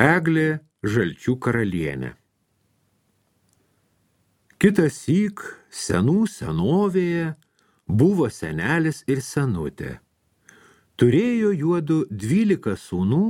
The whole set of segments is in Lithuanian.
Eglė žalčių karalienė. Kitąsyk senų senovėje buvo senelis ir senutė. Turėjo juodu 12 sūnų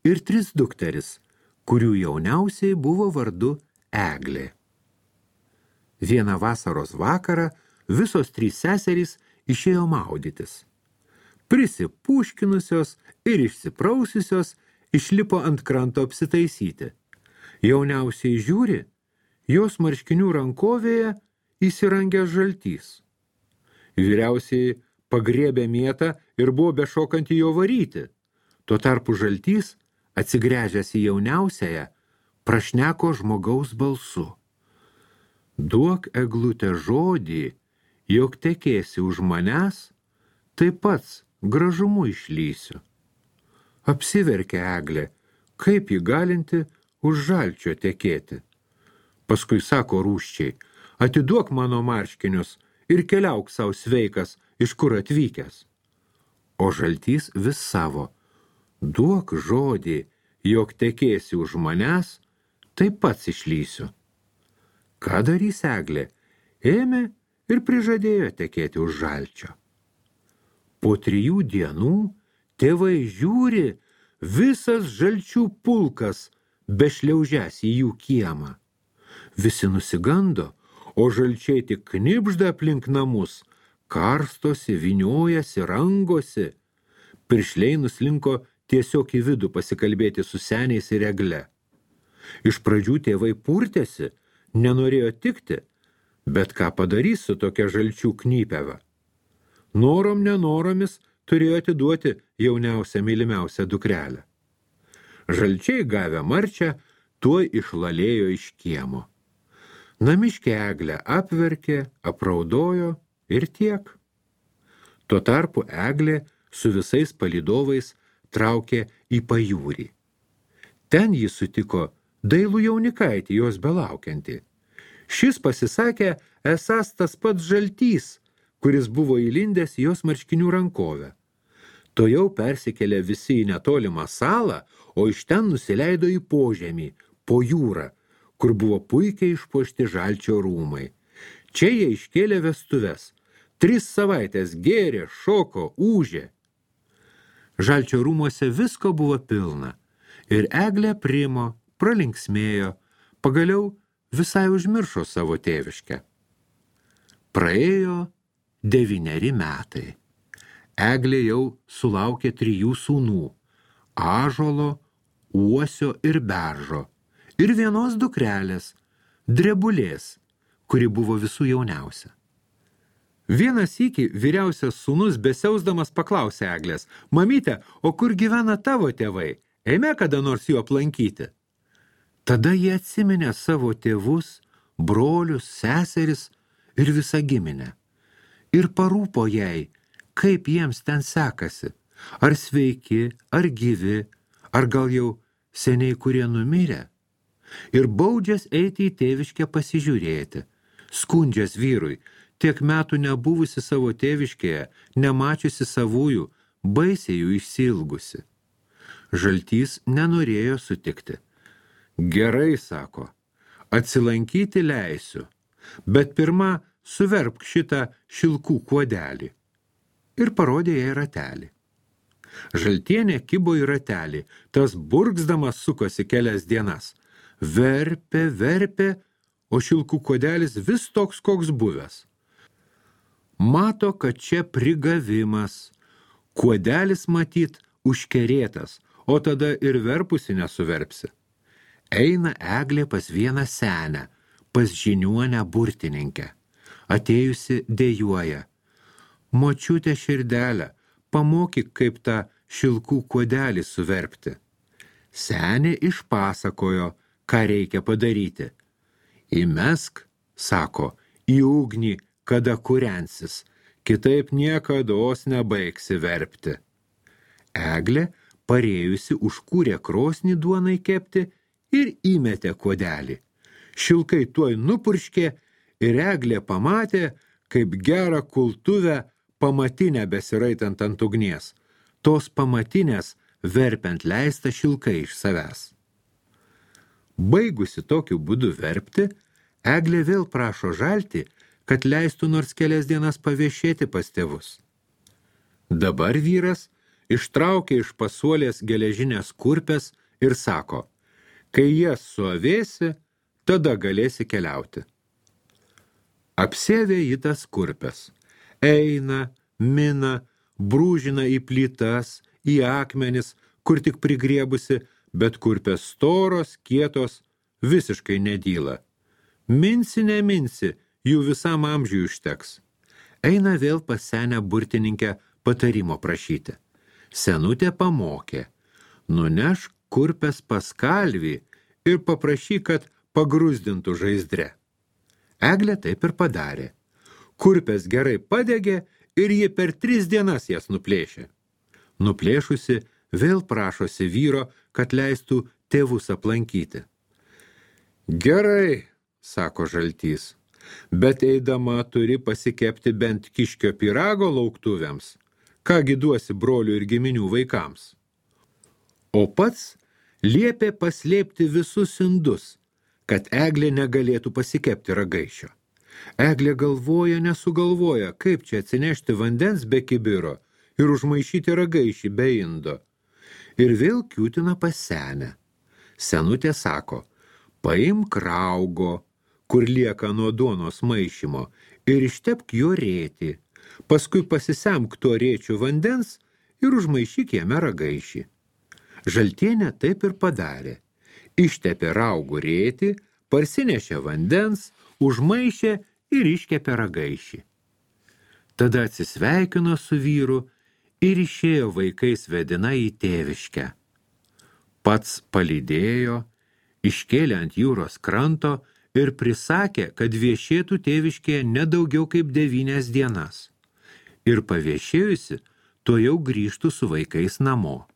ir 3 dukteris, kurių jauniausiai buvo vardu Eglė. Vieną vasaros vakarą visos 3 seserys išėjo maudytis. Prisipuškinusios ir išsiprausiusios išlipo ant kranto apsitaisyti. Jauniausiai žiūri, jos marškinių rankovėje įsirangęs žaltys. Vyriausiai pagriebė mėtą ir buvo bešokant į jo varyti. Tuo tarpu žaltys, atsigręžęs į jauniausiąją, prašneko žmogaus balsu. Duok, Eglute, žodį, jog tekėsi už manęs, tai pats gražumu išlysiu. Apsiverkė Eglė, kaip ji galinti už žalčio tekėti. Paskui sako rūsčiai, atiduok mano marškinius ir keliauk savo sveikas, iš kur atvykęs. O žaltys vis savo, duok žodį, jog tekėsi už manęs, tai pats išlysiu. Ką darys Eglė? Ėmė ir prižadėjo tekėti už žalčio. Po 3 dienų tėvai žiūri, visas žalčių pulkas bešliaužęs į jų kiemą. Visi nusigando, o žalčiai tik knibžda aplink namus, karstosi, vyniojasi, rangosi. Piršliai nuslinko tiesiog į vidų pasikalbėti su seniais ir Egle. Iš pradžių tėvai purtėsi, nenorėjo tikti, bet ką padarys su tokia žalčių knypeva? Norom nenoromis turėjo atiduoti jauniausią mylimiausią dukrelę. Žalčiai gavę marčią, tuoj išlalėjo iš kiemo. Namiškė Eglę apverkė, apraudojo ir tiek. Tuo tarpu Eglė su visais palydovais traukė į pajūrį. Ten jį sutiko dailų jaunikaitį, jos belaukiantį. Šis pasisakė esąs tas pats žaltys, kuris buvo įlindęs jos marškinių rankovę. Tojau persikėlė visi į netolimą salą, o iš ten nusileido į požemį, po jūrą, kur buvo puikiai išpuošti žalčio rūmai. Čia jie iškėlė vestuves. 3 savaitės gėrė, šoko, ūžė. Žalčio rūmuose visko buvo pilna. Ir Eglė primo, pralinksmėjo, pagaliau visai užmiršo savo tėviškę. Praėjo 9 metai. Eglė jau sulaukė 3 sūnų – Ąžuolo, Uosio ir Beržo, ir vienos dukrelės – Drebulės, kuri buvo visų jauniausia. Vieną sykį vyriausias sūnus besiausdamas paklausė Eglės, mamyte, o kur gyvena tavo tėvai? Eime kada nors jų aplankyti. Tada jie atsiminė savo tėvus, brolius, seseris ir visą giminę. Ir parūpo jai, kaip jiems ten sekasi, ar sveiki, ar gyvi, ar gal jau seniai kurie numirė. Ir baudžias eiti į tėviškę pasižiūrėti, skundžias vyrui, tiek metų nebuvusi savo tėviškėje, nemačiusi savųjų, baisiai jų išsiilgusi. Žaltys nenorėjo sutikti. Gerai, sako, atsilankyti leisiu, bet pirma suverpk šitą šilkų kuodelį. Ir parodė jai ratelį. Žaltienė kibo į ratelį, tas burgzdamas sukosi kelias dienas. Verpė, o šilkų kuodelis vis toks, koks buvęs. Mato, kad čia prigavimas. Kuodelis matyt užkerėtas, o tada ir verpusi nesuverpsi. Eina Eglė pas vieną senę, pas žiniuonę burtininkę. Atėjusi dejuoja. Močiutė širdelę, pamokyk, kaip tą šilkų kuodelį suverpti. Senė išpasakojo, ką reikia padaryti. Įmesk, sako, į ugnį, kada kūrensis, kitaip niekados nebaigsi verpti. Eglė, parėjusi, užkūrė krosnį duonai kepti ir įmetė kuodelį. Šilkai tuoj nupurškė ir Eglė pamatė, kaip gerą kultuvę pamatinę besiraitant ant ugnies. Tos pamatinės verpiant leista šilkai iš savęs. Baigusi tokiu būdu verpti, Eglė vėl prašo žaltį, kad leistų nors kelias dienas paviešėti pas tėvus. Dabar vyras ištraukė iš pasuolės geležinės kurpes ir sako, kai jas suavėsi, tada galėsi keliauti. Apsėvė jį tas kurpes. Eina, mina, brūžina į plytas, į akmenis, kur tik prigriebusi, bet kurpės storos, kietos, visiškai nedyla. Minsi, neminsi, jų visam amžiui užteks. Eina vėl pas senę burtininkę patarimo prašyti. Senutė pamokė, nunešk kurpes pas kalvį ir paprašyk, kad pagrūzdintų žaizdre. Eglė taip ir padarė. Kurpės gerai padegė ir ji per 3 dienas jas nuplėšė. Nuplėšusi, vėl prašosi vyro, kad leistų tėvus aplankyti. Gerai, sako žaltys, bet eidama turi pasikepti bent kiškio pyrago lauktuvėms, kągi duosi brolių ir giminių vaikams. O pats liepė paslėpti visus indus, kad Eglė negalėtų pasikepti ragaišio. Eglė galvoja, nesugalvoja, kaip čia atsinešti vandens be kibiro ir užmaišyti ragaišį be indo. Ir vėl kiūtina pas senę. Senutė sako, paimk raugo, kur lieka nuo duonos maišymo, ir ištepk jo rėtį. Paskui pasisemk tuo rėčiu vandens ir užmaišyk jame ragaišį. Žaltienė taip ir padarė. Ištepė raugų rėtį, parsinešė vandens, užmaišė ir iškepė ragaišį. Tada atsisveikino su vyru ir išėjo vaikais vedina į tėviškę. Pats palydėjo, iškėlė ant jūros kranto ir prisakė, kad viešėtų tėviškėje nedaugiau kaip 9 dienas. Ir paviešėjusi, to jau grįžtų su vaikais namo.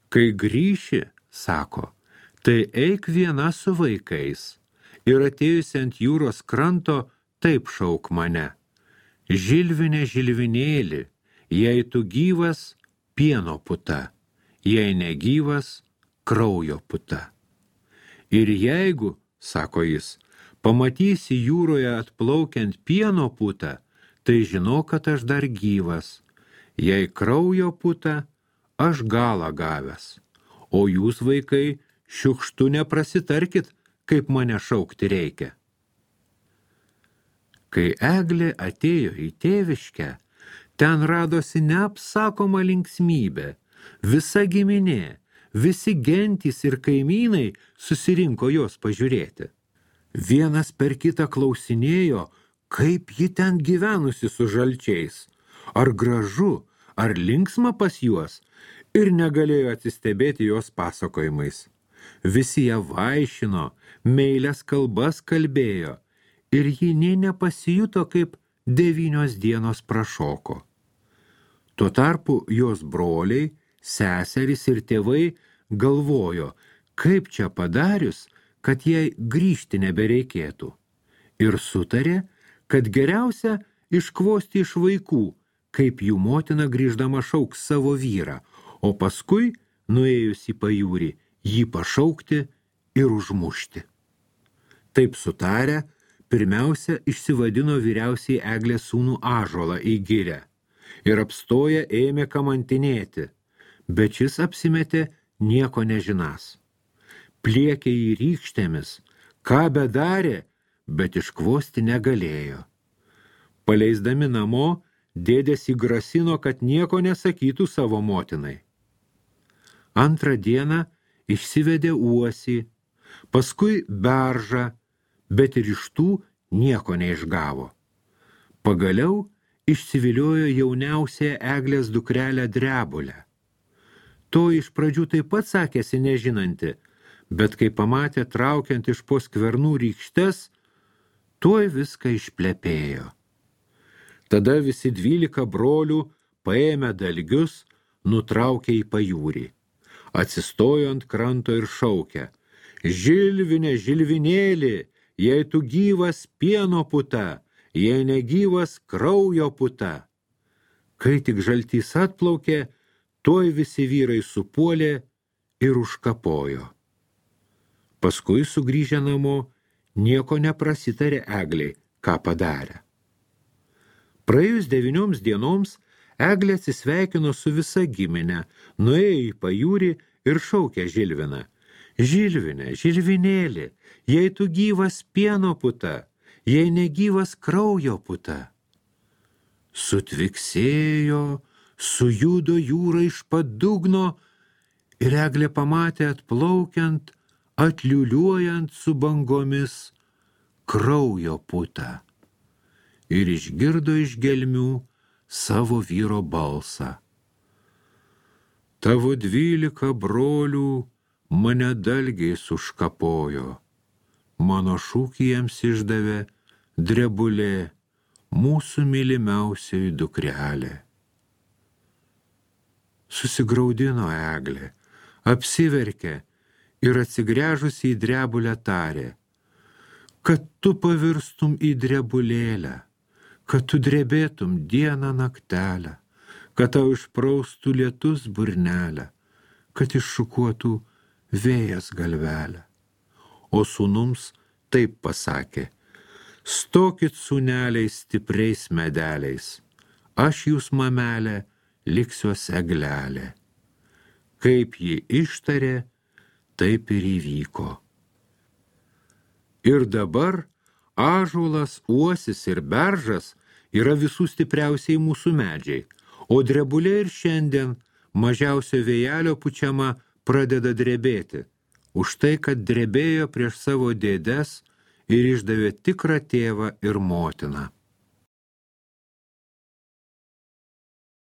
Kai grįši, sako, tai eik viena su vaikais ir atėjusi ant jūros kranto taip šauk mane. Žilvinė žilvinėli, jei tu gyvas, pieno puta, jei negyvas, kraujo puta. Ir jeigu, sako jis, pamatysi jūroje atplaukiant pieno putą, tai žinok, kad aš dar gyvas. Jei kraujo puta, aš galą gavęs. O jūs, vaikai, šiukštu neprasitarkit, kaip mane šaukti reikia. Kai Eglė atėjo į tėviškę, ten radosi neapsakoma linksmybė. Visa giminė, visi gentys ir kaimynai susirinko jos pažiūrėti. Vienas per kitą klausinėjo, kaip ji ten gyvenusi su žalčiais. Ar gražu, ar linksma pas juos, ir negalėjo atsistebėti jos pasakojimais. Visi ją vaišino, meilias kalbas kalbėjo, ir ji nė nepasijuto, kaip 9 dienos prašoko. Tuo tarpu jos broliai, seserys ir tėvai galvojo, kaip čia padarius, kad jai grįžti nebereikėtų. Ir sutarė, kad geriausia iškvosti iš vaikų, kaip jų motina grįždama šauks savo vyrą, o paskui, nuėjus į pajūrį, jį pašaukti ir užmušti. Taip sutarę, pirmiausia išsivadino vyriausiai Eglės sūnų Ąžuolą į girią ir apstoję ėmė kamantinėti, bet šis apsimetė nieko nežinas. Pliekė jį rykštėmis, ką bedarė, bet iškvosti negalėjo. Paleisdami namo, dėdės įgrasino, kad nieko nesakytų savo motinai. Antrą dieną išsivedė uosį, paskui beržą, bet ir iš tų nieko neišgavo. Pagaliau išsiviliojo jauniausią Eglės dukrelę Drebulę. To iš pradžių taip pat sakėsi nežinanti, bet kai pamatė traukiant iš po skvernų rykštes, tuoj viską išplepėjo. Tada visi 12 brolių, paėmę dalgius, nutraukė į pajūrį. Atsistojo ant kranto ir šaukė, Žilvinė, žilvinėli, jei tu gyvas, pieno puta, jei negyvas, kraujo puta. Kai tik žaltys atplaukė, tuoj visi vyrai supuolė ir užkapojo. Paskui sugrįžę namo, nieko neprasitarė Egliai, ką padarė. Praėjus 9 dienoms Eglė atsisveikino su visa giminė, nuėjo į pajūrį ir šaukė Žilviną. Žilvinė, Žilvinėli, jei tu gyvas pieno puta, jei negyvas kraujo puta. Sutviksėjo, sujudo jūra iš padugno ir Eglė pamatė atplaukiant, atliuliuojant su bangomis kraujo putą ir išgirdo iš gelmių savo vyro balsą. Tavo 12 brolių mane dalgiais užkapojo, mano šūkį jiems išdavė Drebulė, mūsų mylimiausioji dukrelė. Susigraudino Eglė, apsiverkė ir atsigręžusi į Drebulę tarė, kad tu pavirstum į drebulėlę, kad tu drebėtum dieną naktelę, kad tau išpraustų lietus burnelę, kad iššukuotų vėjas galvelę. O sūnums taip pasakė, stokit sūneliais stipriais medeliais, aš jūs mamelė liksiuos eglelė. Kaip ji ištarė, taip ir įvyko. Ir dabar ąžuolas, uosis ir beržas yra visų stipriausiai mūsų medžiai, o drebulė ir šiandien mažiausio vėjelio pučiama pradeda drebėti, už tai, kad drebėjo prieš savo dėdes ir išdavė tikrą tėvą ir motiną.